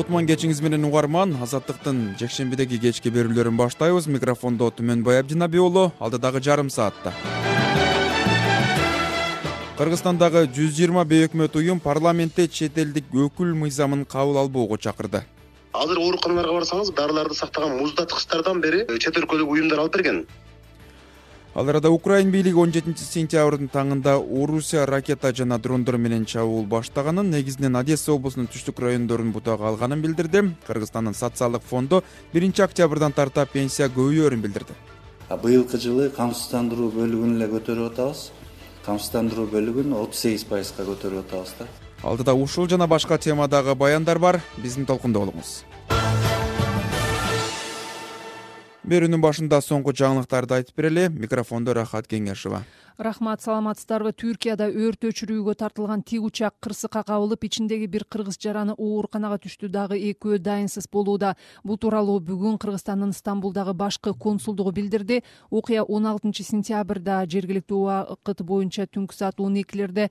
Кутман кечиңиз менен угарман. Азаттыктын жекшембидеги кечки берүүлөрүн баштайбыз. Микрофондо Түмөнбай Абдинабий уулу. Алдыдагы жарым саатта Кыргызстандагы 120 бейөкмөт уюм парламентте чет элдик өкүл мыйзамын кабыл албоого чакырды. Азыр ооруканаларга барсаңыз, дарыларды сактаган муздаткычтардан бери чет өлкөлүк уюмдар алып берген. Ал арада Украин бийлиги 17-сентябрдын таңында Орусия ракета жана дрондор менен чабуул баштаганын, негизинен Одесса облусунун түштүк райондорун бутага алганын билдирди. Кыргызстандын социалдык фонду 1-октябрдан тарта пенсия көбөйөөрүн билдирди. Быйылкы жылы камсыздандыруу бөлүгүн эле көтөрүп атабыз. Камсыздандыруу бөлүгүн 38%га көтөрүп атабыз да. Алдыда ушул жана башка темадагы баяндар бар. Биздин толкунда болуңуз. Берүүнүн башында соңку жаңылыктарды айтып берели. Микрофондо Рахат Кеңешова. Рахмат, саламатсыздарбы? Түркияда өрт өчүрүүгө тартылган тик учак кырсыкка кабылып, ичиндеги бир кыргыз жараны ооруканага түштү, дагы экөө дайынсыз болууда. Бул тууралуу бүгүн Кыргызстандын Стамбулдагы башкы консулдугу билдирди. Окуя 16-сентябрда жергиликтүү убакыт боюнча түнкү саат 12-лерде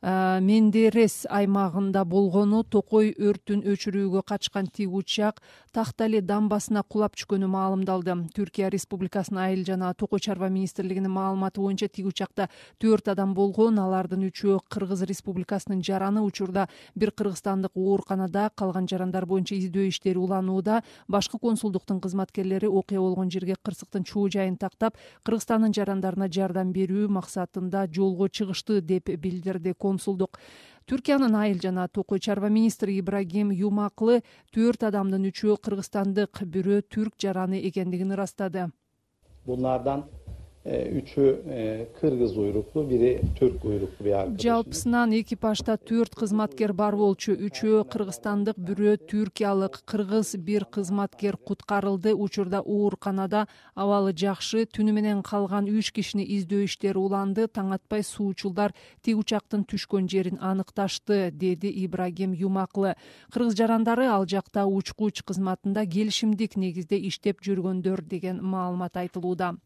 Мендерес аймагында болгону, Токой өрттүн өчүрүүгө качкан тик учак Тахтали дамбасына кулап түшкөнү маалымдалды. Түркия Республикасынын Айыл жана Токой чарба министрлигинин маалыматы боюнча тик учакта 4 адам болгон, алардын 3-өө Кыргыз Республикасынын жараны. Учурда бир кыргызстандык ооруканада, калган жарандар боюнча издөө иштери уланууда. Башкы консулдуктун кызматкерлери окуя болгон жерге кырсыктын чоо жайын тактап, Кыргызстандын жарандарына жардам берүү максатында жолго чыгышты деп билдирди консулдук. Түркиянын Айыл жана Токой чарба министри Ибрагим Юмаклы 4 адамдын 3-өө кыргызстандык, бирөө түрк жараны экендигин ырастады. Bunlardan 3'ü Kırgız uyruklu, biri Türk uyruklu bir arkadaşımız. Жалпысынан экипажда 4 кызматкер бар болчу, 3-өө кыргызстандык, бирөө түркиялык. Кыргыз бир кызматкер куткарылды. Учурда ооруканада, абалы жакшы. Түнү менен калган 3 кишини издөө иштери уланды. Таң атпай суучулдар тик учактын түшкөн жерин аныкташты, деди Ибрагим Юмаклы. Кыргыз жарандары ал жакта учкуч кызматында келишимдик негизде иштеп жүргөндөр деген маалымат айтылууда.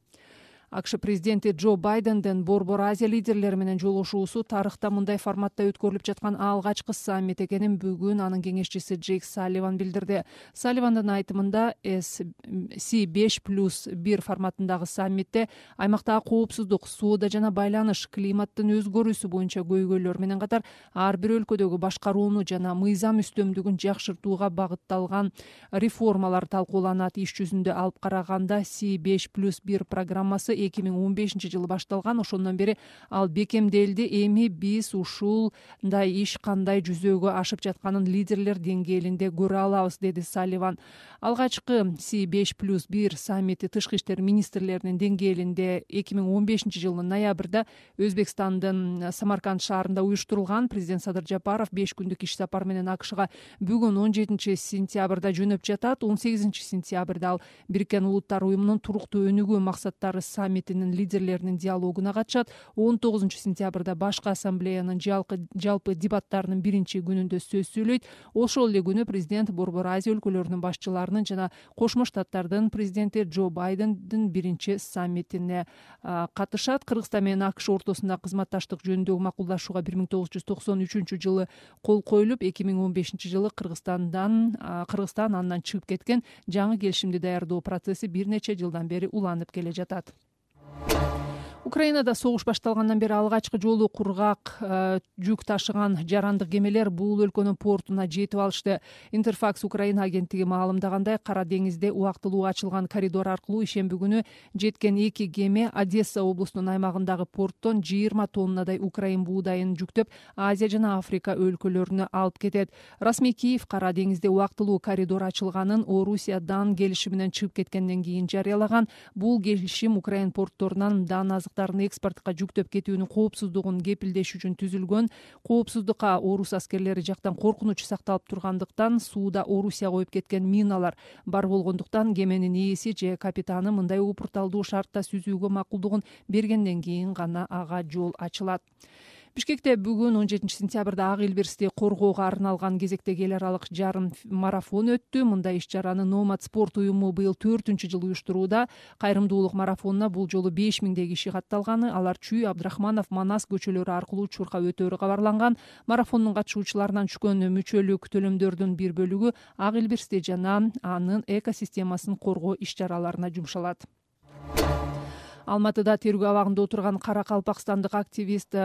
АКШ президенти Джо Байдендин Борбор Азия лидерлери менен жолугушуусу тарыхта мындай форматта өткөрүлүп жаткан алгачкы саммит экенин бүгүн анын кеңешчиси Джейк Салливан билдирди. Салливандын айтымында C5+1 форматындагы саммитте аймактагы коопсуздук, соода жана байланыш, климаттын өзгөрүүсү боюнча көйгөйлөр менен катар ар бир өлкөдөгү башкарууну жана мыйзам үстөмдүгүн жакшыртууга багытталган реформалар талкууланат. Иш жүзүндө алып караганда C5+1 программасы 2015-жылы башталган. Ошондон бери ал бекемделди. Эми биз ушундай иш кандай жүзөгө ашып жатканын лидерлер деңгээлинде көрө алабыз, деди Салливан. Алгачкы C5+1 саммити тышкы иштер министрлеринин деңгээлинде 2015-жылдын ноябрда Өзбекстандын Самарканд шаарында уюштурулган. Президент Садыр Жапаров 5 күндүк иш сапар менен АКШга бүгүн 17-сентябрда жөнөп жатат. 18-сентябрда ал Бириккен Улуттар уюмунун туруктуу өнүгүү максаттары саммитинин лидерлеринин диалогуна катышат. 19-сентябрда башкы ассамблеянын жалпы дебаттарынын биринчи күнүндө сөз сүйлөйт. Ошол эле күнү президент Борбор Азия өлкөлөрүнүн башчыларынын жана Кошмо Штаттардын президенти Джо Байдендин биринчи саммитине катышат. Кыргызстан менен АКШ ортосунда кызматташтык жөнүндөгү макулдашууга 1993-жылы кол коюлуп, 2015-жылы Кыргызстан андан чыгып кеткен. Жаңы келишимди даярдоо процесси бир нече жылдан бери уланып келе жатат. Украинада согуш башталгандан бери алгачкы жолу кургак жүк ташыган жарандык кемелер бул өлкөнүн портуна жетип алышты. Интерфакс Украина агенттиги маалымдагандай, Кара деңизде убактылуу ачылган коридор аркылуу ишемби күнү жеткен 2 кеме Одесса облусунун аймагындагы порттон 20 тоннадай Украин буудайын жүктөп, Азия жана Африка өлкөлөрүнө алып кетет. Расмий Киев Кара деңизде убактылуу коридор ачылганын Орусиядан келишиминен чыгып кеткенден кийин жарыялаган. Бул келишим Украин портторунан дан экспортко жүктөп кетүүнүн коопсуздугун кепилдеш үчүн түзүлгөн. Коопсуздукка Орус аскерлери жактан коркунуч сакталып тургандыктан, сууда Орусия коюп кеткен миналар бар болгондуктан кеменин ээси же капитаны мындай упурталдуу шартта сүзүүгө макулдугун бергенден кийин гана ага жол ачылат. Бишкекте бүгүн 17-сентябрда Ак Элберсти коргоого арналган кезектеги эл аралык жарым марафон өттү. Мындай иш-чараны Номад спорт уюму быйыл 4-жыл уюштурууда. Кайрымдуулук марафонуна бул жолу 5000 киши катталганы. Алар Чүй, Абдрахманов, Манас көчөлөрү аркылуу чуркап өтөөрү кабарланган. Марафондун катышуучуларынан түшкөн мүчөлүк төлөмдөрдүн бир бөлүгү Ак Элберсти жана анын экосистемасын коргоо иш-чараларына жумшалат. Алматыда тергөө абагында отурган каракалпакстандык активист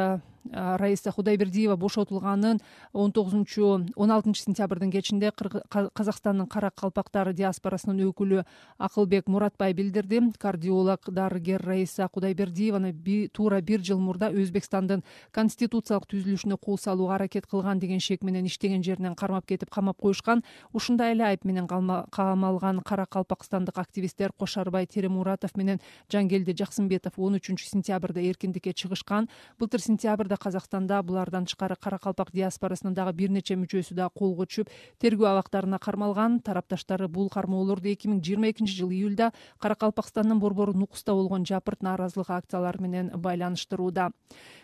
Раиса Кудайбердиева бошотулганын 16-сентябрдын кечинде Казакстандын каракалпактар диаспорасынын өкүлү Акылбек Муратбай билдирди. Кардиолог дарыгер Раиса Кудайбердиеваны туура бир жыл мурда Өзбекстандын конституциялык түзүлүшүнө кол салууга аракет кылган деген шек менен иштеген жеринен кармап кетип камап коюшкан. Ушундай эле айып менен камалган каракалпакстандык активисттер Кошарбай Теремуратов менен Жангелди Жаксымбетов 13-сентябрда эркиндикке чыгышкан. Былтыр сентябрда Казакстанда булардан тышкары каракалпак диаспорасынын дагы бир нече мүчөсү да колго түшүп, тергөө абактарына кармалган. Тарапташтары бул кармоолорду 2022-жылы июлда Каракалпакстандын борбору Нукуста болгон жапырт нааразылык акциялары менен байланыштырууда.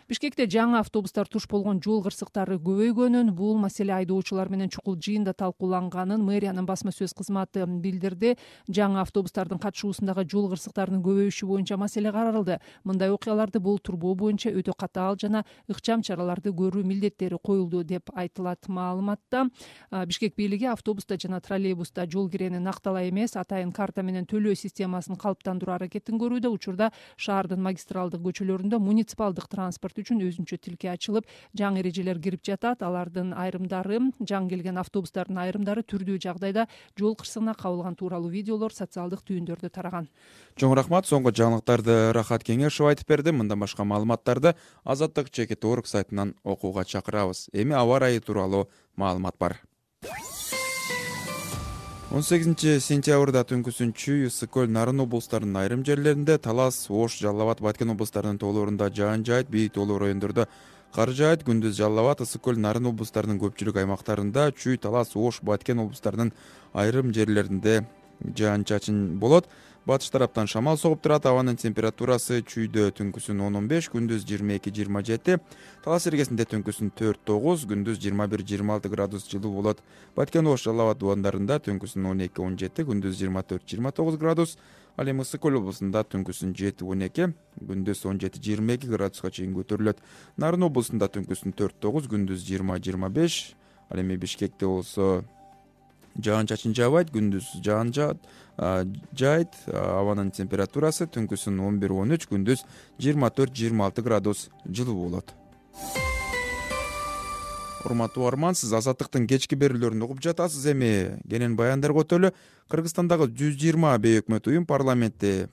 Бишкекте жаңы автобустар туш болгон жол кырсыктары көбөйгөнүн, бул маселе айдоочулар менен чукул жыйында талкууланганын мэриянын басма сөз кызматы билдирди. Жаңы автобустардын катышуусундагы жол кырсыктарынын көбөйүшү боюнча маселе каралды. Мындай окуяларды болтурбоо боюнча өтө катаал жана ыкчам чараларды көрүү милдеттери коюлду деп айтылат маалыматта. Бишкек бийлиги автобуста жана троллейбуста жол кирени накталай эмес, атайын карта менен төлөө системасын калыптандыруу аракетин көрүүдө. Учурда шаардын магистралдык көчөлөрүндө муниципалдык транспорт үчүн өзүнчө тилке ачылып, жаңы эрежелер кирип жатат. Алардын айрымдары, жаңы келген автобустардын айрымдары түрдүү жагдайда жол кырсыгына кабылган тууралуу видеолор социалдык түйүндөрдө тараган. Чоң рахмат. Соңку жаңылыктарды Рахат Кеңешов айтып берди. Мындан башка маалыматтарды Азаттык ЧК.org сайтынан окууга чакырабыз. Эми аба ырайы тууралуу маалымат бар. 18-сентябрда түнкүсүн Чүй, Ысык-Көл, Нарын облустарынын айрым жерлеринде, Талас, Ош, Жалал Абад, Баткен облустарынын тоолорунда жаан жаайт, бийик тоолуу райондордо кар жаайт. Күндүз Жалал Абад, Ысык-Көл, Нарын облустарынын көпчүлүк аймактарында, Чүй, Талас, Ош, Баткен облустарынын айрым жерлеринде жаан чачын болот. Батыш тараптан шамал согуп турат. Абанын температурасы Чүйдө түнкүсүн 10-15, күндүз 22-27, Талас эргесинде түнкүсүн 4-9, күндүз 21-26 градус жылуу болот. Баткен, Ош, Жалал Абад дубандарында түнкүсүн 12-17, күндүз 24-29 градус. Ал эми Ысык-Көл облусунда түнкүсүн 7-12, күндүз 17-22 градуска чейин көтөрүлөт. Нарын облусунда түнкүсүн 4-9, күндүз 20-25. Ал эми Бишкекте болсо жаан чачын жаабайт, күндүз жаан жаайт. Абанын температурасы түнкүсүн 11-13, күндүз 24-26 градус жылуу болот. Урматтуу угарман, сиз Азаттыктын кечки берүүлөрүн угуп жатасыз. Эми кенен баяндарга өтөлү. Кыргызстандагы 120 бейөкмөт уюм парламентте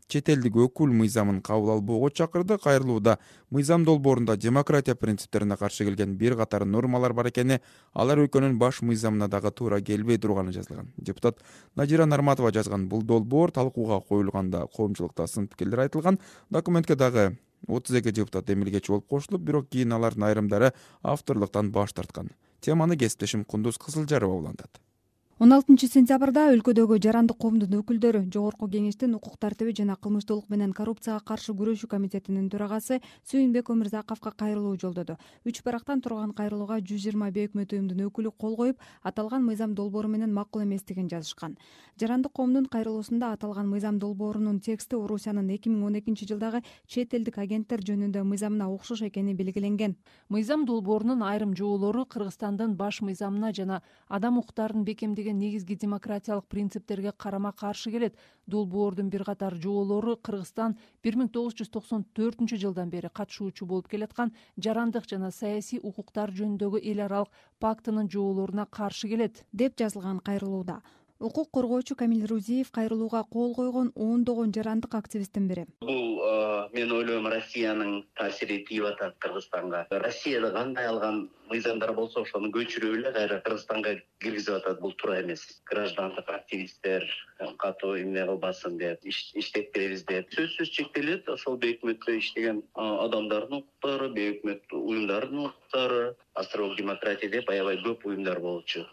чет элдик өкүл мыйзамын кабыл албоого чакырды. Кайрылууда мыйзам долбоорунда демократия принциптерине каршы келген бир катар нормалар бар экени, алар өлкөнүн баш мыйзамына дагы туура келбей турганы жазылган. Депутат Надира Нарматова жазган бул долбоор талкууга коюлганда коомчулукта сын пикирлер айтылган. Документке дагы 32 депутат эмилгечи болуп кошулуп, бирок кийин алардын айрымдары авторлуктан баш тарткан. Теманы кесиптешим Кундуз Кызылжарова улантат. 16-сентябрда өлкөдөгү жарандык коомдун өкүлдөрү Жогорку Кеңештин укук тартиби жана кылмыштуулук менен коррупцияга каршы күрөшүү комитетинин төрагасы Сүйүнбек Өмүрзаковго кайрылуу жолдоду. 3 барактан турган кайрылууга 120 бейөкмөт уюмдун өкүлү кол коюп, аталган мыйзам долбоору менен макул эместигин жазышкан. Жарандык коомдун кайрылуусунда аталган мыйзам долбоорунун тексти Орусиянын 2012-жылдагы чет элдик агенттер жөнүндө мыйзамына окшош экени белгиленген. Мыйзам долбоорунун айрым жоолору Кыргызстандын баш мыйзамына жана адам укуктарын бекемдеген негизги демократиялык принциптерге карама каршы келет. Долбоордун бир катар жоолору Кыргызстан 1994-жылдан бери катышуучу болуп келаткан жарандык жана саясий укуктар жөнүндөгү эл аралык пактынын жоолоруна каршы келет, деп жазылган кайрылууда. Укук коргоочу Камил Рузиев кайрылууга кол койгон ондогон жарандык активисттин бири. Бул мен ойлойм Россиянын таасири тийип атат Кыргызстанга. Россияда кандай алган мыйзамдар болсо ошону көчүрүп эле кайра Кыргызстанга киргизип атат. Бул туура эмес. Граждандык активисттер катуу эмне кылбасын деп, иштеп беребиз деп. Сөзсүз чектелет ошол бейөкмөттө иштеген адамдардын укуктары, бейөкмөт уюмдардын укуктары, Астролог демократия деп аябай көп уюмдар болчу.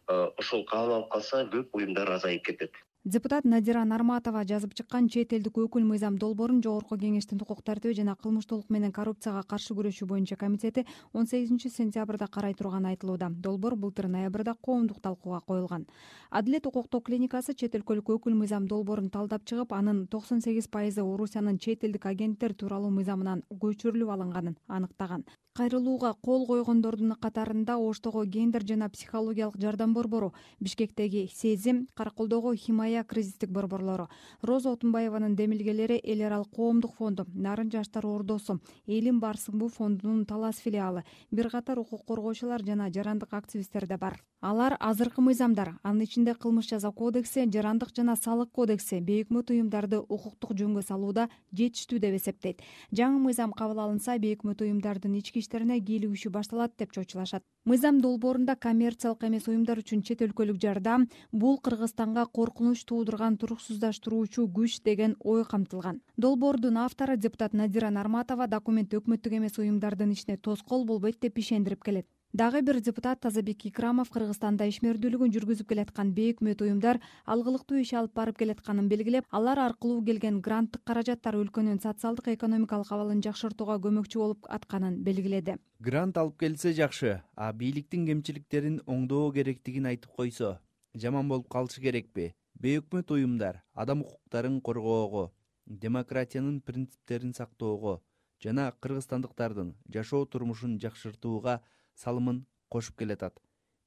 Ошол кабыл алып калса көп уюмдар азайып кетет. Депутат Надира Нарматова жазып чыккан чет элдик өкүл Мыйзам долбоорун Жогорку кеңештин укук тартиби жана кылмыштуулук менен коррупцияга каршы күрөшүү боюнча комитети 18-сентябрда карай турганы айтылууда. Долбоор былтыр ноябрда коомдук талкууга коюлган. Адилет укуктук клиникасы чет өлкөлүк өкүл Мыйзам долбоорун талдап чыгып, анын 98% Орусиянын чет элдик агенттер тууралуу мыйзамынан көчүрүлүп алынганын аныктаган. Кайрылууга кол койгондордун катарында Оштогу гендер жана психологиялык жардам борбору, Бишкектеги Сезим, Караколдогу Химая кризистик борборлору, Роза Отунбаеванын демилгелери Эл аралык коомдук фонду, Нарын жаштар ордосу, Элим Барсыңбу фондунун Талас филиалы, бир катар укук коргоочулар жана жарандык активисттер да бар. Алар азыркы мыйзамдар, анын ичинде кылмыш жаза кодекси, жарандык жана салык кодекси бейөкмөт уюмдарды укуктук жөнгө салууда жетиштүү деп эсептейт. Жаңы мыйзам кабыл алынса, бейөкмөт уюмдардын ички иштерине кийлигишүү башталат деп чочулашат. Мыйзам долбоорунда коммерциялык эмес уюмдар үчүн чет өлкөлүк жардам, бул Кыргызстанга коркунуч туудурган туруксуздаштыруучу күч деген ой камтылган. Долбоордун автору депутат Надира Нарматова документ өкмөттүк эмес уюмдардын ишине тоскоол болбойт деп ишендирип келет. Дагы бир депутат Тазабек Икрамов Кыргызстанда ишмердүүлүгүн жүргүзүп келаткан бейөкмөт уюмдар алгылыктуу иш алып барып келатканын белгилеп, алар аркылуу келген гранттык каражаттар өлкөнүн социалдык экономикалык абалын жакшыртууга көмөкчү болуп атканын белгиледи. Грант алып келсе жакшы, а бийликтин кемчиликтерин оңдоо керектигин айтып койсо, жаман болуп калышы керекпи? Бейөкмөт уюмдар адам укуктарын коргоого, демократиянын принциптерин сактоого жана кыргызстандыктардын жашоо турмушун жакшыртууга салымын кошуп келатат.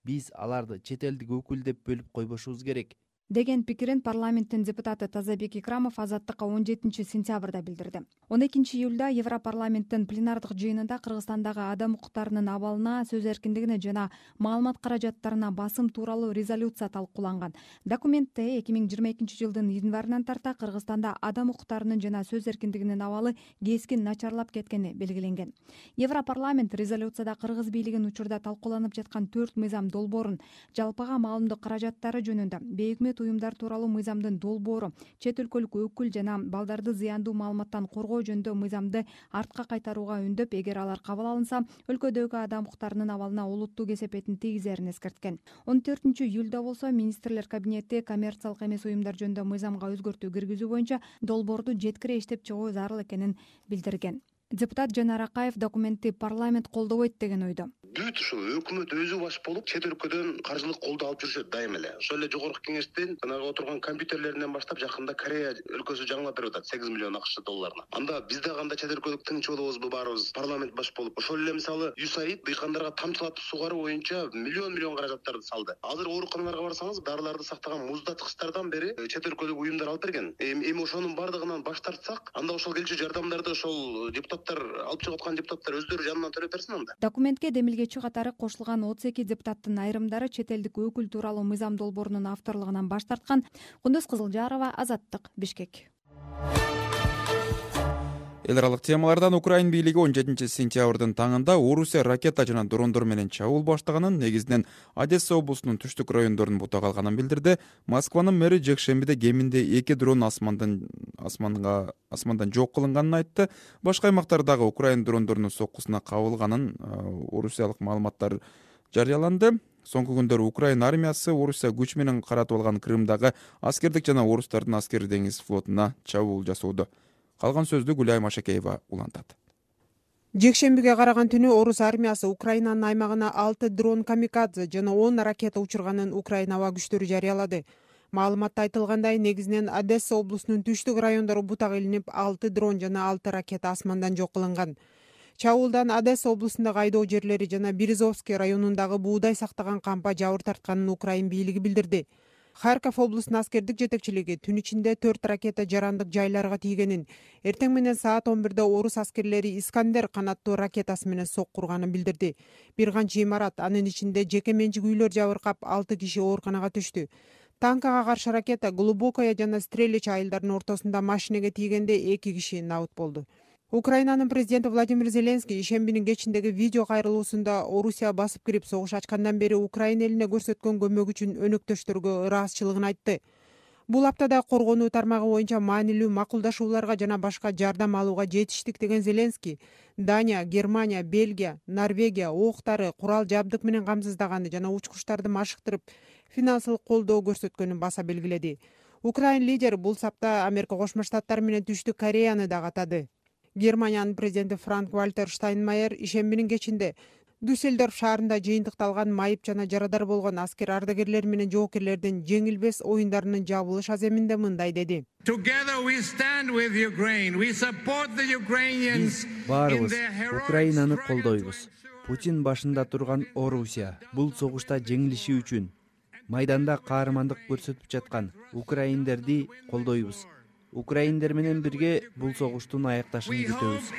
Биз аларды чет элдик өкүл деп бөлүп койбошубуз керек деген пикирин парламенттин депутаты Тазабек Икрамов Азаттыкка 17-сентябрда билдирди. 12-июлда Европарламенттин пленардык жыйынында Кыргызстандагы адам укуктарынын абалына, сөз эркиндигине жана маалымат каражаттарына басым тууралуу резолюция талкууланган. Документте 2022-жылдын январынан тарта Кыргызстанда адам укуктарынын жана сөз эркиндигинин абалы кескин начарлап кеткени белгиленген. Европарламент резолюцияда кыргыз бийлигин учурда талкууланып жаткан 4 мыйзам долбоорун, жалпыга маалымдоо каражаттары жөнүндө, бейөкмөт уюмдар тууралуу мыйзамдын долбоору, чет өлкөлүк өкүл жана балдарды зыяндуу маалыматтан коргоо жөнүндө мыйзамды артка кайтарууга үндөп, эгер алар кабыл алынса, өлкөдөгү адам укуктарынын абалына олуттуу кесепетин тийгизерин эскерткен. 14-июлда болсо министрлер кабинети коммерциялык эмес уюмдар жөнүндө мыйзамга өзгөртүү киргизүү боюнча долбоорду жеткире иштеп чыгуу зарыл экенин билдирген. Депутат Жанар Акаев документти парламент колдобойт деген ойдо. Бүт ушул өкмөт өзү баш болуп чет өлкөдөн каржылык колдоо алып жүрүшөт дайым эле. Ошол эле жогорку кеңештин жанагы отурган компьютерлеринен баштап жакында Корея өлкөсү жаңылап берип атат 8 миллион АКШ долларына. Анда биз да кандай чет өлкөлүк тыңчы болобузбу баарыбыз парламент баш болуп. Ошол эле мисалы USAID дыйкандарга тамчылатып сугаруу боюнча миллион каражаттарды салды. Азыр ооруканаларга барсаңыз, дарыларды сактаган муздатгычтардан бери чет өлкөлүк уюмдар алып берген. Эми ошонун бардыгынан баш тартсак, анда ошол келчү жардамдарды ошол депутаттар алып чыгып аткан депутаттар өздөрү жанынан төлөп берсин анда. Документке демилгечи катары кошулган 32 депутаттын айрымдары чет элдик өкүл тууралуу мыйзам долбоорунун авторлугунан баш тарткан. Кундуз Кызылжарова, Азаттык, Бишкек. Эл аралык темалардан Украин бийлиги 17-сентябрдын таңында Орусия ракета жана дрондор менен чабуул баштаганын, негизинен Одесса облусунун түштүк райондорун бутага алганын билдирди. Москванын мэри жекшембиде кеминде 2 дрон асмандан жок кылынганын айтты. Башка аймактардагы Украин дрондорунун соккусуна кабылганын орусиялык маалыматтар жарыяланды. Соңку күндөрү Украин армиясы Орусия күч менен каратып алган Крымдагы аскердик жана орустардын аскери деңиз флотуна чабуул жасоодо. Калган сөздү Гүлай Машакеева улантат. Жекшембиге караган түнү орус армиясы Украинанын аймагына 6 дрон камикадзе жана 10 ракета учурганын Украина аба күчтөрү жарыялады. Маалыматта айтылгандай, негизинен Одесса облусунун түштүк райондору бутак илинип, 6 дрон жана 6 ракета асмандан жок кылынган. Чабуулдан Одесса облусундагы айдоо жерлери жана Березовский районундагы буудай сактаган кампа жабыр тартканын Украин бийлиги билдирди. Харьков облусунун аскердик жетекчилиги түн ичинде 4 ракета жарандык жайларга тийгенин, эртең менен саат 11-де орус аскерлери Искандер канаттуу ракетасы менен сокку урганын билдирди. Бир канча имарат, анын ичинде жеке менчик үйлөр жабыркап, 6 киши ооруканага түштү. Танкага каршы ракета Глубокая жана Стрелич айылдарынын ортосунда машинеге тийгенде 2 киши набыт болду. Украинанын президенти Владимир Зеленский ишембинин кечиндеги видео кайрылуусунда Орусия басып кирип согуш ачкандан бери Украина элине көрсөткөн көмөгү үчүн өнөктөштөргө ыраазычылыгын айтты. Бул аптада коргонуу тармагы боюнча маанилүү макулдашууларга жана башка жардам алууга жетиштик деген Зеленский Дания, Германия, Бельгия, Норвегия октары, курал жабдык менен камсыздаганы жана учкучтарды машыктырып, финансылык колдоо көрсөткөнүн баса белгиледи. Украин лидери бул сапта Америка Кошмо Штаттары менен Түштүк Кореяны да катады. Германиянын президенти Франк-Вальтер Штайнмайер ишембинин кечинде Дюссельдорф шаарында жыйынтыкталган майып жана жарадар болгон аскер ардагерлери менен жоокерлердин жеңилбес оюндарынын жабылыш аземинде мындай деди. Биз баарыбыз Украинаны колдойбуз. Путин башында турган Орусия бул согушта жеңилиши үчүн майданда каармандык көрсөтүп жаткан украиндерди колдойбуз. Украиндер менен бирге бул согуштун аякташын күтөбүз.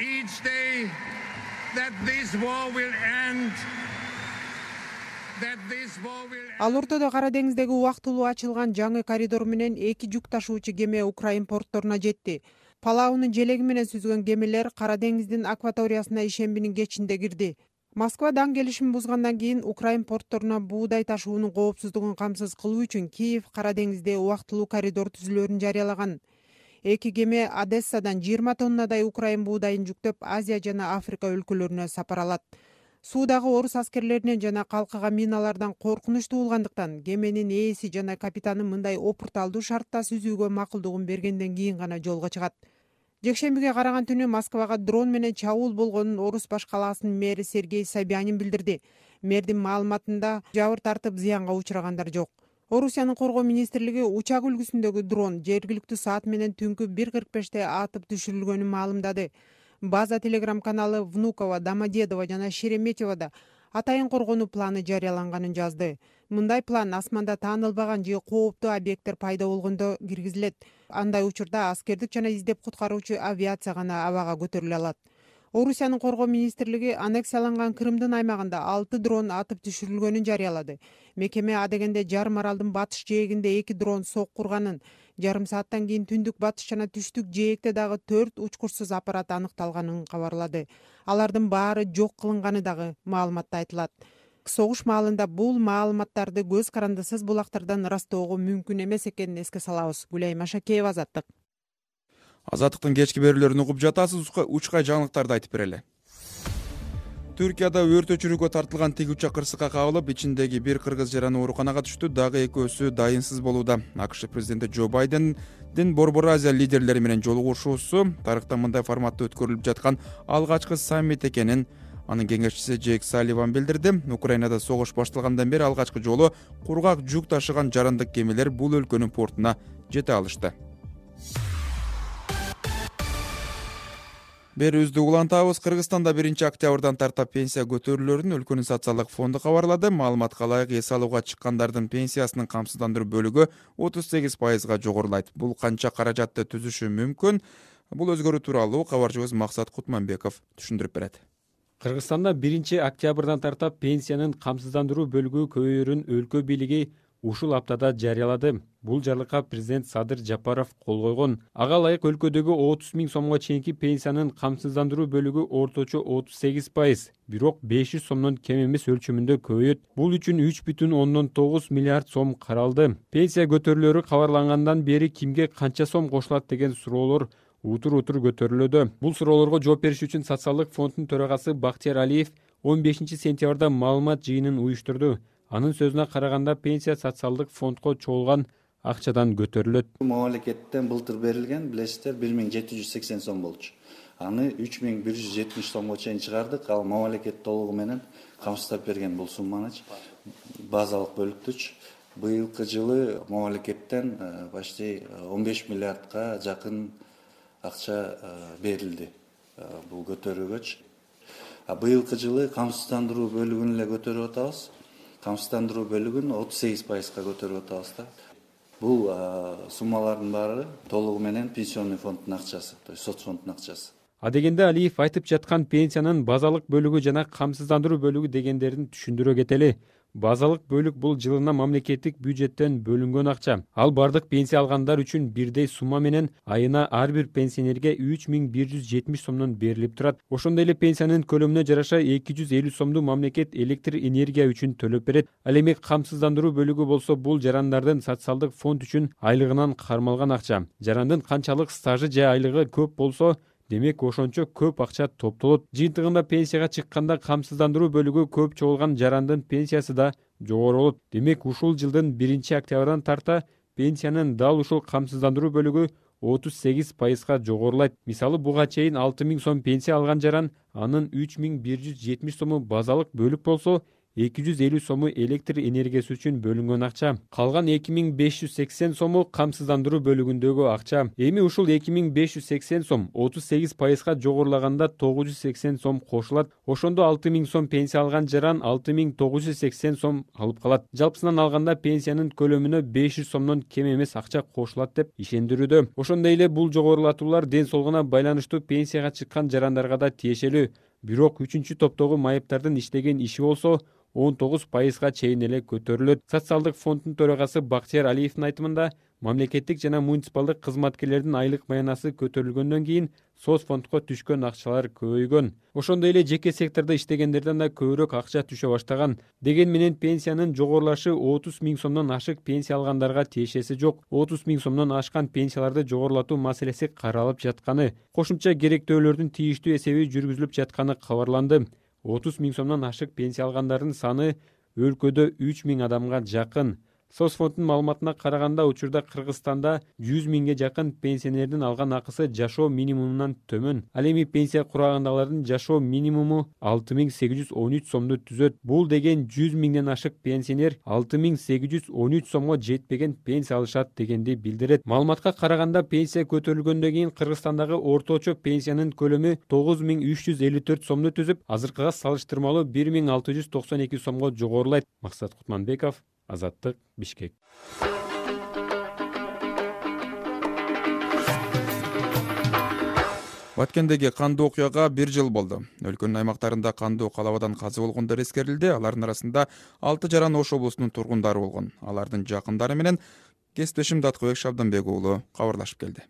Ал ортодо Кара деңиздеги убактылуу ачылган жаңы коридор менен 2 жүк ташуучу кеме Украин портторуна жетти. Палаунун желеги менен сүзгөн кемелер Кара деңиздин акваториясына ишембинин кечинде кирди. Москва даң келишим бузгандан кийин Украин портторуна буудай ташуунун коопсуздугун камсыз кылуу үчүн Киев Кара деңизде убактылуу коридор түзүлөөрүн жарыялаган. 2 кеме Одессадан 20 тоннадай Украин буудайын жүктөп Азия жана Африка өлкөлөрүнө сапар алат. Суудагы орус аскерлеринен жана калкыга миналардан коркунучтуу болгондуктан кеменин ээси жана капитаны мындай опурталдуу шартта сүзүүгө макулдугун бергенден кийин гана жолго чыгат. Жекшембиге караган түнү Москвага дрон менен чабуул болгонун Орус баш калаасынын мэри Сергей Собянин билдирди. Мэрдин маалыматында жабыр тартып зыянга учурагандар жок. Орусиянын коргоо министрлиги учак үлгүсүндөгү дрон жергиликтүү саат менен түнкү 1:45 атып түшүрүлгөнүн маалымдады. База телеграм каналы Внуково, Домодедово жана Шереметьевода атайын коргонуу планы жарыяланганын жазды. Мындай план асманда таанылбаган же кооптуу объекттер пайда болгондо киргизилет. Андай учурда аскердик жана издеп куткаруучу авиация гана абага көтөрүлө алат. Орусиянын коргоо министрлиги аннексияланган Крымдын аймагында 6 дрон атып түшүрүлгөнүн жарыялады. Мекеме адегенде жарым аралдын батыш жээгинде 2 дрон соккурганын, жарым сааттан кийин түндүк батыш жана түштүк жээкте дагы 4 учкурсуз аппарат аныкталганын кабарлады. Алардын баары жок кылынганы дагы маалыматта айтылат. Согуш маалында бул маалыматтарды көз карандысыз булактардан ырастоого мүмкүн эмес экенин эске салабыз. Гүлай Машакеева, Азаттык. Азаттыктын кечки берүүлөрүн угуп жатасыз. Учкай жаңылыктарды айтып берели. Түркияда өрт өчүрүүгө тартылган тигүүчү кырсыкка кабылып, ичиндеги бир кыргыз жараны ооруканага түштү, дагы экөөсү дайынсыз болууда. АКШ президенти Джо Байдендин Борбор Азия лидерлери менен жолугушуусу тарыхта мындай форматта өткөрүлүп жаткан алгачкы саммит экенин анын кеңешчиси Джейк Салливан билдирди. Украинада согуш башталгандан бери алгачкы жолу кургак жүк ташыган жарандык кемелер бул өлкөнүн портуна жете алышты. Берүүбүздү улантабыз. Кыргызстанда 1-октябрдан тарта пенсия көтөрүлөрүн өлкөнүн социалдык фонду кабарлады. Маалыматка ылайык эс алууга чыккандардын пенсиясынын камсыздандыруу бөлүгү 38%га жогорулайт. Бул канча каражатты түзүшү мүмкүн? Бул өзгөрүү тууралуу кабарчыбыз Максат Кутманбеков түшүндүрүп берет. Кыргызстанда 1-октябрдан тарта пенсиянын камсыздандыруу бөлүгү көбөйөрүн өлкө бийлиги ушул аптада жарыялады. Бул жарлыкка президент Садыр Жапаров кол койгон. Ага ылайык өлкөдөгү 30 000 сомго чейинки пенсиянын камсыздандыруу бөлүгү орточо 38%, бирок 500 сомдон кем эмес өлчөмүндө көбөйөт. Бул үчүн 3,9 миллиард сом каралды. Пенсия көтөрүлөрү кабарлангандан бери кимге канча сом кошулат деген суроолор утур көтөрүлүүдө. Бул суроолорго жооп бериш үчүн социалдык фонддун төрагасы Бактияр Алиев 15 сентябрда маалымат жыйынын уюштурду. Анын сөзүнө караганда пенсия социалдык фондко чогулган акчадан көтөрүлөт. Мамлекеттен былтыр берилген, билесиздер, 1780 сом болчу. Аны 3170 сомго чейин чыгардык. Ал мамлекет толугу менен камсыздап берген бул сумманы базалык бөлүктүч. Быйылкы жылы мамлекеттен почти 15 миллиардка жакын акча берилди бул көтөрүүгө. Быйылкы жылы камсыздандыруу бөлүгүн эле көтөрүп атабыз. Камсыздандыруу бөлүгүн 38%га көтөрүп атабыз да. Бул суммалардын баары толугу менен пенсионный фонддун акчасы, то есть соцфонддун акчасы. Адегенде Алиев айтып жаткан пенсиянын базалык бөлүгү жана камсыздандыруу бөлүгү дегендерин түшүндүрө кетели. Базалык бөлүк бул жылына мамлекеттик бюджеттен бөлүнгөн акча. Ал бардык пенсия алгандар үчүн бирдей сумма менен айына ар бир пенсионерге 3170 сомдон берилип турат. Ошондой эле пенсиянын көлөмүнө жараша 250 сомду мамлекет электр энергия үчүн төлөп берет. Ал эми камсыздандыруу бөлүгү болсо бул жарандардын социалдык фонд үчүн айлыгынан кармалган акча. Жарандын канчалык стажы же айлыгы көп болсо, демек ошончо көп акча топтолот. Жыйынтыгында пенсияга чыкканда камсыздандыруу бөлүгү көп чогулган жарандын пенсиясы да жогору болот. Демек ушул жылдын 1-октябрдан тарта пенсиянын дал ушул камсыздандыруу бөлүгү 38% жогорулайт. Мисалы, буга чейин 6.000 сом пенсия алган жаран анын 3.170 сому базалык бөлүк болсо, 250 сому электр энергиясы үчүн бөлүнгөн акча. Калган 2580 сому камсыздандыруу бөлүгүндөгү акча. Эми ушул 2580 сом 38%га жогорулаганда 980 сом кошулат. Ошондо 6000 сом пенсия алган жаран 6980 сом алып калат. Жалпысынан алганда пенсиянын көлөмүнө 500 сомдон кем эмес акча кошулат деп ишендирүүдө. Ошондой эле бул жогорулатуулар ден соолугуна байланыштуу пенсияга чыккан жарандарга да тиешелүү. Бирок 3-чү топтогу майыптардын иштеген иши болсо 19%га чейин эле көтөрүлөт. Социалдык фонддун төрагасы Бактияр Алиевдин айтымында, мамлекеттик жана муниципалдык кызматкерлердин айлык маянасы көтөрүлгөндөн кийин соцфондко түшкөн акчалар көбөйгөн. Ошондой эле жеке сектордо иштегендерден да көбүрөөк акча түшө баштаган. Дегени менен пенсиянын жогорулашы 30 000 сомдон ашык пенсия алгандарга тиешеси жок. 30 000 сомдон ашкан пенсияларды жогорулатуу маселеси каралып жатканы, кошумча керектөөлөрдүн тийиштүү эсеби жүргүзүлүп жатканы кабарланды. 30 000 сомдон ашык пенсия алгандардын саны өлкөдө 3000 адамга жакын. Соцфонддун маалыматына караганда, учурда Кыргызстанда 100 000ге жакын пенсионердин алган акысы жашоо минимумунан төмөн. Ал эми пенсия курагындагылардын жашоо минимуму 6813 сомду түзөт. Бул деген 100 000ден ашык пенсионер 6813 сомго жетпеген пенсия алышат дегенди билдирет. Маалыматка караганда, пенсия көтөрүлгөндөн кийин Кыргызстандагы орточо пенсиянын көлөмү 9354 сомду түзүп, азыркыга салыштырмалуу 1692 сомго жогорулайт. Максат Кутманбеков, Азаттык, Бишкек. Баткендеги кандуу окуяга 1 жыл болду. Өлкөнүн аймактарында кандуу калабадан каза болгондор эскерилди. Алардын арасында 6 жаран Ош облусунун тургундары болгон. Алардын жакындары менен кесиптешим Даткыбек Шабданбек уулу кабарлашып келди.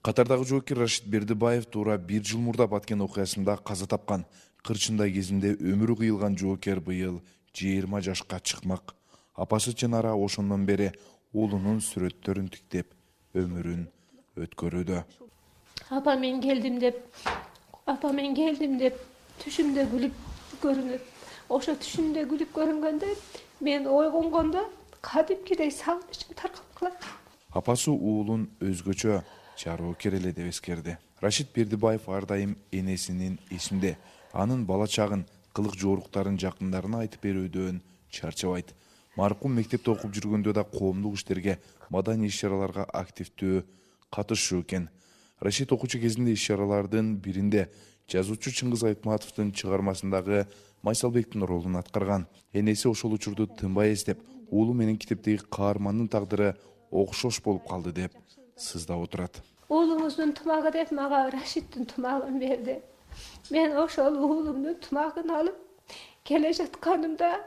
Катардагы жоокер Рашид Бердибаев туура 1 жыл мурда Баткен окуясында каза тапкан. Кырчындай кезинде өмүрү кыйылган жоокер быйыл 20 жашка чыкмак. Апасы Чынара ошондон бери уулунун сүрөттөрүн тиктеп өмүрүн өткөрүүдө. Апа мен келдим деп түшүмдө күлүп көрүнөт. Ошо түшүмдө күлүп көрүнгөндө мен ойгонгондо кадимкидей сагынычым таркалып калат. Апасы уулун өзгөчө жоокер эле деп эскерди. Рашид Бердибаев ар дайым энесинин эсинде, анын бала чагын, кылык жооруктарын жакындарына айтып берүүдөн чарчабайт. Маркум мектепте окуп жүргөндө да коомдук иштерге, маданий иш-чараларга активдүү катышуу экен. Рашид окуучу кезинде иш-чаралардын биринде жазуучу Чыңгыз Айтматовдун чыгармасындагы Майсалбектин ролун аткарган. Энеси ошол учурду тынбай эстеп, уулу менен китептеги каармандын тагдыры окшош болуп калды деп сыздап отурат. Уулуңуздун тумагы деп мага Рашидтин тумагын берди. Мен ошол уулумдун тумагын алып келе жатканымда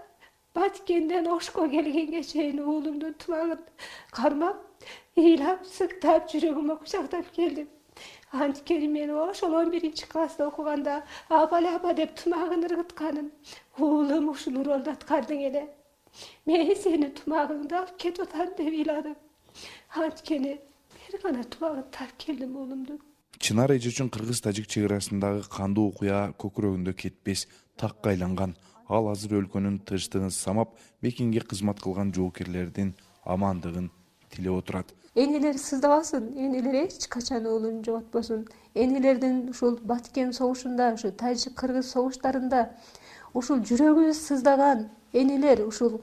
Баткенден Ошко келгенге чейин уулумдун тумагын кармап, ыйлап, сыктап, жүрөгүмө кучактап келдим. Анткени мен ошол 11-класста окуганда апа деп тумагын ыргытканын уулум ушул ролду аткардың эле. Мен сенин тумагыңды алып кетип атам деп ыйладым. Анткени бир гана тумагын таап келдим уулумдун. Чынар эже үчүн кыргыз-тажик чек арасындагы кандуу окуя көкүрөгүндө кетпес такка айланган. Ал азыр өлкөнүн тынчтыгын самап, Бекинге кызмат кылган жоокерлердин амандыгын тилеп отурат. Энелер сыздабасын, энелер эч качан уулун жоготпосун. Энелердин ушул Баткен согушунда, ушу тажик-кыргыз согуштарында ушул жүрөгүбүз сыздаган энелер, ушул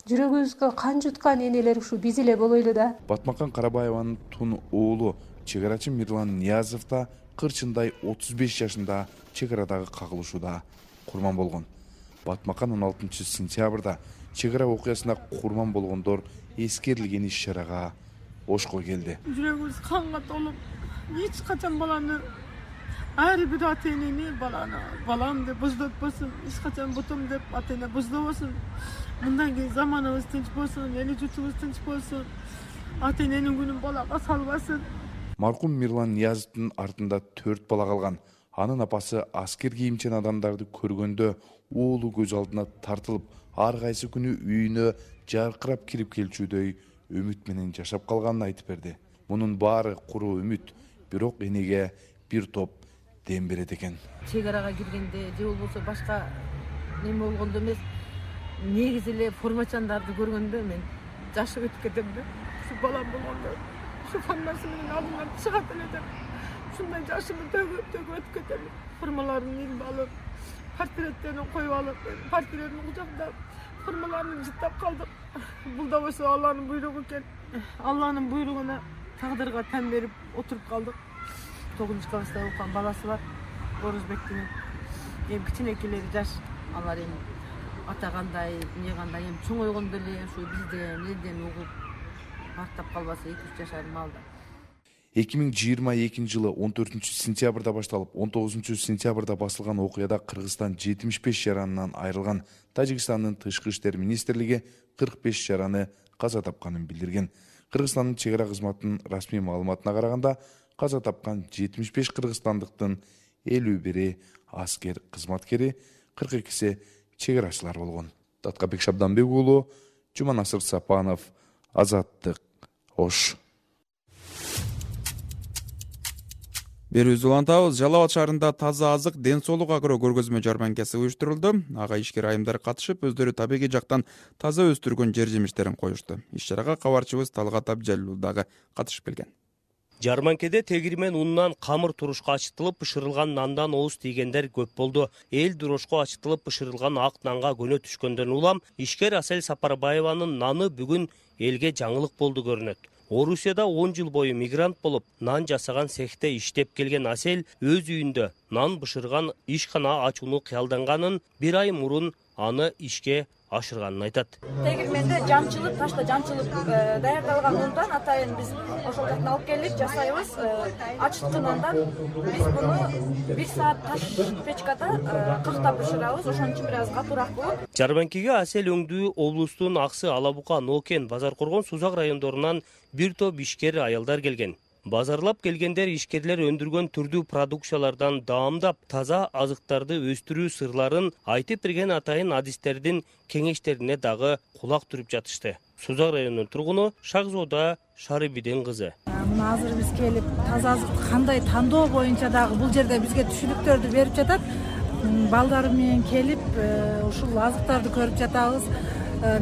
жүрөгүбүзгө кан жуткан энелер ушу биз эле болойлу да. Батмакан Карабаеванын тун уулу чек арачы Мирлан Ниязов да Кырчындай 35 жашында чек арадагы кагылышууда курман болгон. Батмакан 16 сентябрда чек ара окуясында курман болгондор эскерилген иш-чарага Ошко келди. Жүрөгүбүз канга толуп, эч качан баланы ар бир ата-энени балам деп боздотпосун, эч качан бутум деп ата-эне боздобосун. Мындан кийин заманыбыз тынч болсун, эл журтубуз тынч болсун. Ата-эненин күнүн балага салбасын. Маркум Мирлан Ниязовдун артында 4 бала калган. Анын апасы аскер кийимчен адамдарды көргөндө уулу көз алдына тартылып, ар кайсы күнү үйүнө жаркырап кирип келчүдөй үмүт менен жашап калганын айтып берди. Мунун баары куруу үмүт, бирок энеге бир топ дем берет экен. Чек арага киргенде же болбосо башка неме болгондо эмес, негизи эле формачандарды көргөндө мен жашып өтүп кетем да. Şu balam болгондо şu формасы менен алдымдан чыгат эле деп ушундай жашымды төгүп өтүп кетем. Формаларын илип алып, портреттерин коюп алып, портретин кучактап, формаларын жыттап калдык. Бул да болсо Алланын буйругу экен. Алланын буйругуна, тагдырга тен берип отуруп калдык. 9-класста окуган баласы бар. Орузбектин. Эми кичинекелери жаш. Алар эми ата кандай, эмне кандай, эми чоңойгондо эле ушу бизден элден угуп бактап калбаса 2-3 жашар малда. 2022 жылы 14-сентябрда башталып, 19-сентябрда басылган окуяда Кыргызстан 75 жаранынан айрылган. Тажикстандын Тышкы иштер министрлиги 45 жараны каза тапканын билдирген. Кыргызстандын чек ара кызматынын расмий маалыматына караганда, каза тапкан 75 кыргызстандыктын 51 аскер кызматкери, 42си чек арачылар болгон. Таткабек Шабданбек уулу, Жуманасыр Сапанов, Азаттык, Ош. Берүүбүз улантабыз. Жалал Абад шаарында таза азык, ден соолук агро көргөзмө жарманкасы уюштурулду. Ага ишкер айымдар катышып, өздөрү табигый жактан таза өстүргөн жер жемиштерин коюшту. Иш-чарага кабарчыбыз Талгат Абжалилов дагы катышып келген. Жарманкеде тегирмен унунан камыр турушка ачытылып бышырылган нандан ооз тийгендер көп болду. Эл дурошко ачытылып бышырылган ак нанга көнө түшкөндөн улам ишкер Асель Сапарбаеванын наны бүгүн элге жаңылык болду көрүнөт. Орусияда 10 жыл бою мигрант болуп, нан жасаган цехте иштеп келген Асель өз үйүндө нан бышырган ишкана ачууну кыялданганын, 1 ай мурун аны ишке ашырганын айтат. Тегирменде жамчылык, ташта жамчылык даярдалган ундан атайын биз ошол жактан алып келип жасайбыз. Ачыткы нандан биз буну 1 саат таш печкада кактап бышырабыз. Ошон үчүн бир аз катуураак болот. Жарманкеге Асель өңдүү облустун Аксы, Алабука, Нокен, Базар-Коргон, Сузак райондорунан бир топ ишкер аялдар келген. Базарлап келгендер ишкерлер өндүргөн түрдүү продукциялардан даамдап, таза азыктарды өстүрүү сырларын айтып берген атайын адистердин кеңештерине дагы кулак түрүп жатышты. Сузак районунун тургуну Шагзода Шарибидин кызы. Мына азыр биз келип, таза азыкты кандай тандоо боюнча дагы бул жерде бизге түшүнүктөрдү берип жатат. Балдарым менен келип, ушул азыктарды көрүп жатабыз.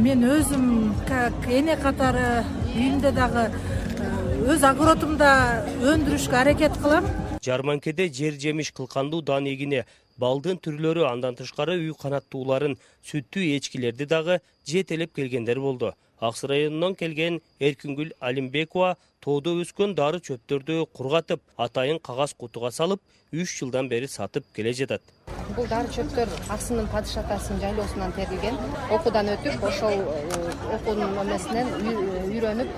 Мен өзүм эне катары үйүмдө дагы өз огородумда өндүрүшкө аракет кылам. Жарманкеде жер жемиш кылкандуу дан эгини, балдын түрлөрү, андан тышкары үй канаттууларын, сүттүү эчкилерди дагы жетелеп келгендер болду. Аксы районунан келген Эркингүл Алимбекова тоодо өскөн дары чөптөрдү кургатып, атайын кагаз кутуга салып, 3 жылдан бери сатып келе жатат. Бул дары чөптөр Аксынын падыш атасынын жайлоосунан терилген. Окуудан өтүп, ошол окуунун эмесинен үйрөнүп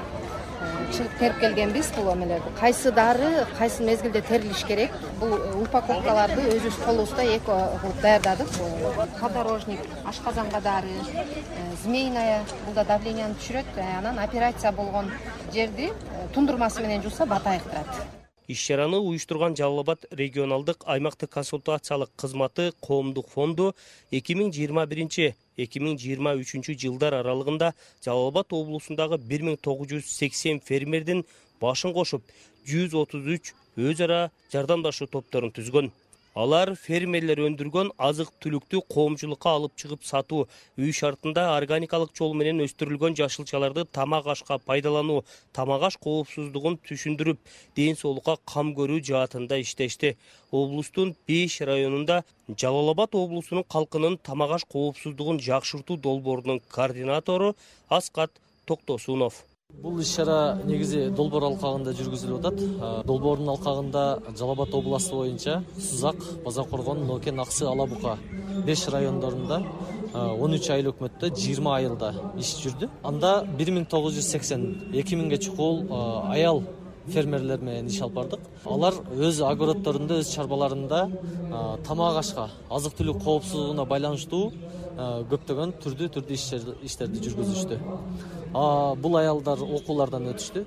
чыгып терип келгенбиз бул эмелерди. Кайсы дары, кайсы мезгилде терилиш керек. Бул упаковкаларды өзүбүз колубузда эко кылып даярдадык. Подорожник, ашказанга дары, змеиная, бул да давленияны түшүрөт. Анан операция болгон жерди тундурмасы менен жууса бата айыктырат. Иш-чараны уюштурган Жалал Абад регионалдык аймактык консультациялык кызматы коомдук фонду 2021-2023 жылдар аралыгында Жалал Абад облусундагы 1980 фермердин башын кошуп, 133 өз ара жардамдашуу топторун түзгөн. Алар фермерлер өндүргөн азык-түлүктү коомчулукка алып чыгып сатуу, үй шартында органикалык жол менен өстүрүлгөн жашылчаларды тамак ашка пайдалануу, тамак аш коопсуздугун түшүндүрүп, ден соолукка кам көрүү жаатында иштешти. Облустун 5 районунда Жалал Абад облусунун калкынын тамак аш коопсуздугун жакшыртуу долбоорунун координатору Аскат Токтосунов. Бул иш-чара негизи Долбоор алкагында жүргүзүлүп атат. Долбоордун алкагында Жалал Абад областы боюнча Сузак, Базар-Коргон, Нокен, Аксы, Алабука 5 райондорунда 13 айлык өкмөттө 20 айылда иш жүрдү. Анда 1980-2000ге чукул аял фермерлер менен иш алып бардык. Алар өз огороддорунда, өз чарбаларында тамак ашка, азык-түлүк коопсуздугуна байланыштуу көптөгөн түрдүү иштерди жүргүзүштү. Бул аялдар окуулардан өтүштү.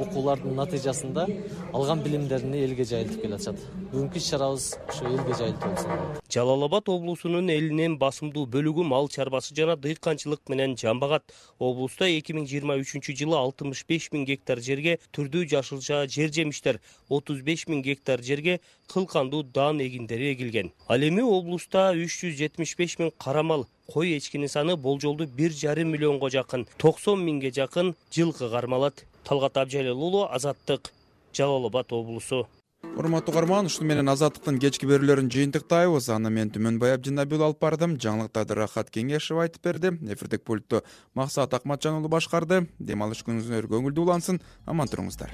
Окуулардын натыйжасында алган билимдерин элге жайылтып келатышат. Бүгүнкү иш-чарабыз ошо элге жайылтуу болсун. Жалал Абад облусунун элинен басымдуу бөлүгү мал чарбасы жана дыйканчылык менен жамбагат. Облуста 2023 жылы 65 000 гектар жерге түрдүү жашылча жер жемиштер, 35 000 гектар жерге кылкандуу дан эгиндери эгилген. Ал эми облуста 375 000 кара мал, кой эчкинин саны болжолду 1,5 миллионго жакын, 90 миңге жакын жылкы кармалат. Талгат Абжалил уулу, Азаттык, Жалал Абад облусу. Урматтуу угарман, ушуну менен Азаттыктын кечки берүүлөрүн жыйынтыктайбыз. Аны мен Түмөнбай Абдинабил алып бардым. Жаңылыктарды Рахат Кеңешев айтып берди. Эфирдик пультту Максат Акматжан уулу башкарды. Дем алыш күнүңүздөр көңүлдүү улансын. Аман туруңуздар.